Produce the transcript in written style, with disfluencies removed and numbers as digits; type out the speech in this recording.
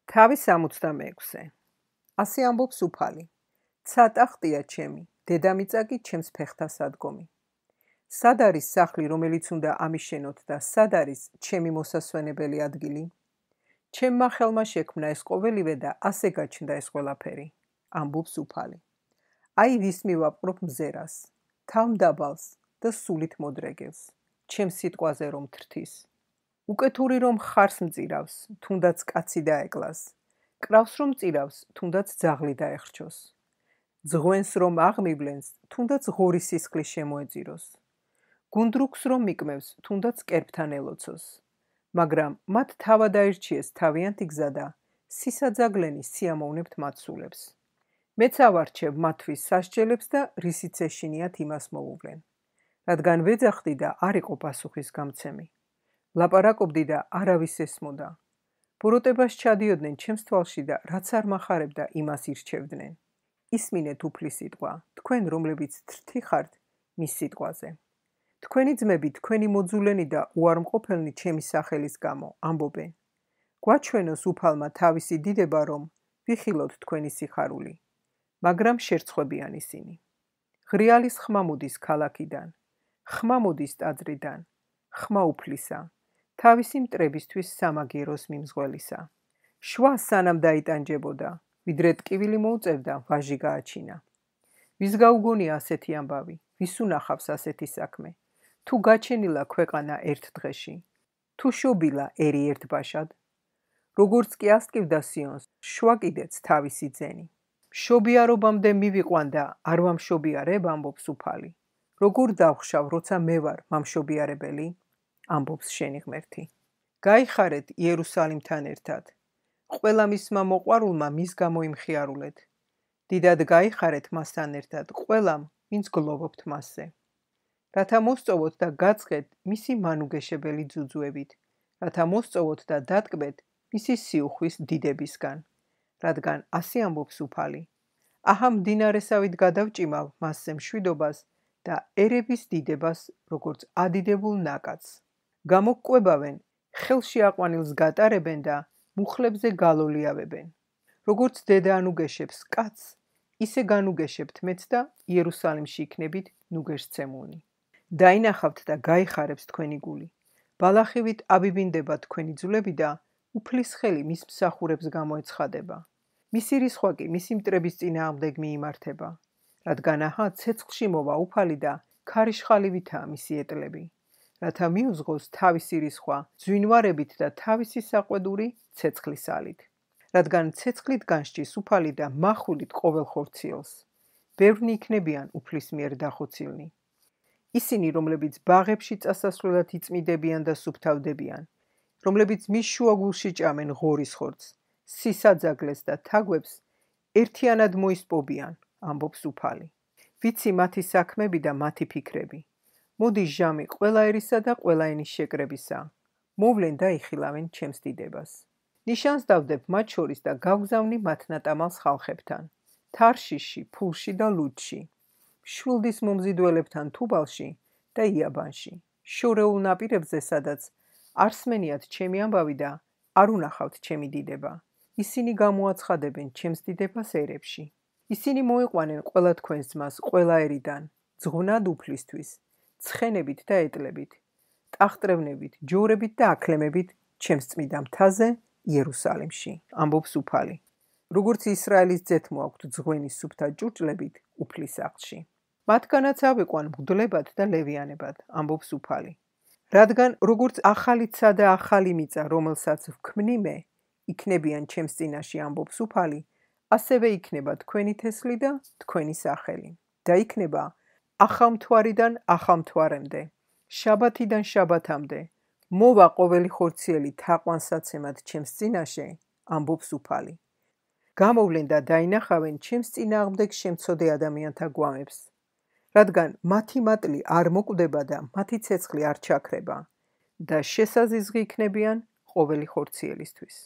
თავი 66. ასე ამბობს უფალი. ცატახტია ჩემი, დედამიწა კი ჩემს ფეხთა სადგომი. სად არის სახლი, რომელიც უნდა ამიშენოთ და სად არის ჩემი მოსასვენებელი ადგილი? ჩემმა ხელმა შექმნა ეს ყოველივე და ასე გაჩნდა ეს ყველაფერი, ამბობს უფალი. აი ვის მივაპყრობ მზერას, თავმდაბალს და სულით მოდრეგევს, ჩემს სიტყვაზე რომ თრთის. უკეთური რომ ხარს მწირავს, თუნდაც კაცი დაეკლას, კრავს რომ წირავს, თუნდაც ძაღლი დაეხრჩოს. ძღვენს რომ აღმივლენს, თუნდაც ღორი სისხლის შემოეწიროს. გუნდრუქს რომ მიკმევს, თუნდაც კერპთან ელოცოს. მაგრამ მათ თავად აირჩიეს თავიანთი გზა და სისაძაგლენი სიამოვნებთ მათსულებს. მეც ავარჩევ მათთვის სასჯელებს და რისიც ეშინიათ იმას მოუვლენ. რადგან ვეძახდი და არ იყო პასუხის გამცემი. ლაპარაკობდი და არავის ესმოდა. ბოროტებას ჩადიოდნენ ჩემს თვალში და რაც არ მახარებდა იმას ირჩევდნენ. ისმინეთ უფლის სიტყვა, თქვენ რომლებიც თრთი ხართ მის სიტყვაზე. თქვენი ძმები, თქვენი მოძულენი და უარმყოფელნი ჩემი სახელის გამო ამბობენ. გვაჩვენოს უფალმა თავისი დიდება, რომ ვიხილოთ თქვენი სიხარული. მაგრამ შერცხვებიან ისინი. ღრიალის ხმა მოდის ქალაქიდან, ხმა მოდის ტაძრიდან, ხმა უფლისა, თავისი მტრებისთვის სამაგიეროს მიმზღველისა. შვა სანამ დაიტანჯებოდა, ვიდრე ტკივილი მოუწევდა, ვაჟი გააჩინა. ვის გაუგონია ასეთი ამბავი, ვის უნახავს ასეთი საქმე? თუ გაჩენილა ქვეყანა ერთ დღეში, თუ შობილა ერი ერთ ბაშად, როგორც კი ასტკივდა სიონს, შვა კიდეც თავისი ძენი. მშობიარობამდე მივიყვან და არ ვამშობიარებ, ამბობს უფალი. როგორ დავხშავ, როცა მე ვარ მამშობიარებელი? ამბობს შენი ღმერთი. გაიხარეთ იერუსალიმთან ერთად. ყველა მისმა მოყვარულმა მის გამო იმხიარულეთ. დიდად გაიხარეთ მასთან ერთად ყველამ, ვინც გლოვობთ მასზე. რათა მოსწოვოთ და გაწყეთ მისი მანუგეშებელი ძუძუებით, რათა მოსწოვოთ და დატკბეთ მისი სიუხვის დიდებისგან. რადგან ასე ამბობს უფალი. აჰა მდინარესავით გადავჭიმავ მასზე მშვიდობას და ერების დიდებას, როგორც ადიდებულ ნაკადს. გამოგკვებავენ, ხელში აყვანილს გატარებენ და მუხლებზე გალოლიავებენ. როგორც დედა ანუგეშებს კაცს, ისე განუგეშებთ მეც და იერუსალიმში იქნებით ნუგეშცემულნი. დაინახავთ და გაიხარებს თქვენი გული. ბალახივით აბიბინდება თქვენი ძვლები და უფლის ხელი მის მსახურებს გამოეცხადება. მისი რისხვა კი მისი მტრების წინააღმდეგ მიიმართება. რადგან აჰა ცეცხლში მოვა უფალი და ქარიშხალივითაა მისი ეტლები. რათა მიუძღოს თავისი რისხვა ძვინვარებით და თავისი საყვედური ცეცხლის ალით. რადგან ცეცხლით განსჭის უფალი და მახვილით ყოველ ხორციელს. ბევრნი იქნებიან უფლის მიერ დახოცილნი. ისინი, რომლებიც ბაღებში წასასვლელად იწმიდებიან და სუფთავდებიან, რომლებიც მის შუაგულში ჭამენ ღორის ხორცს, სისაძაგლეს და თაგვებს, ერთიანად მოისპობიან, ამბობს უფალი. ვიცი მათი საქმები და მათი ფიქრები. მოდის ჟამი ყველა ერისა და ყველა ენის შეკრებისა. მოვლენ და იხილავენ ჩემს დიდებას. ნიშანს დავდებ მათ შორის და გავგზავნი მათ ნატამალს ხალხებთან. თარშიში, ფულში და ლუდში. შვილდის მომზიდველებთან თუბალში და იაბანში. შორეულ ნაპირებზე, სადაც არსმენიათ ჩემი ამბავი და არ უნახავთ ჩემი დიდება. ისინი გამოაცხადებენ ჩემს დიდებას ერებში. ისინი მოიყვანენ ყველა თქვენს ძმას ყველა ერიდან, ძღვნად უფლისთვის, ცხენებით და ეტლებით, ტახტრევნებით, ჯორებით და აქლემებით ჩემს წმიდა მთაზე იერუსალიმში, ამბობს უფალი. როგორც ისრაელის ძეთმო აქვთ ძღვენის სუფთა ჭურჭლებით უფლის სახლში. მათგანაც ავიყვან მღვდლებად და ლევიანებად, ამბობს უფალი. რადგან როგორც ახალი ცა და ახალი მიწა, რომელსაც ვქმნი მე, იქნებიან ჩემს წინაშე, ამბობს უფალი, ასევე იქნება თქვენი თესლი და თქვენი სახელი. და იქნება ახალმთვარიდან ახალმთვარემდე, შაბათიდან შაბათამდე, მოვა ყოველი ხორციელი თაყვანსაცემად ჩემს წინაშე, ამბობს უფალი. გამოვლენ და დაინახავენ ჩემს წინააღმდეგ შემცოდე ადამიანთა გვამებს. რადგან მათი მატლი არ მოკვდება და მათი ცეცხლი არ ჩაქრება და შესაზიზღი იქნებიან ყოველი ხორციელისთვის.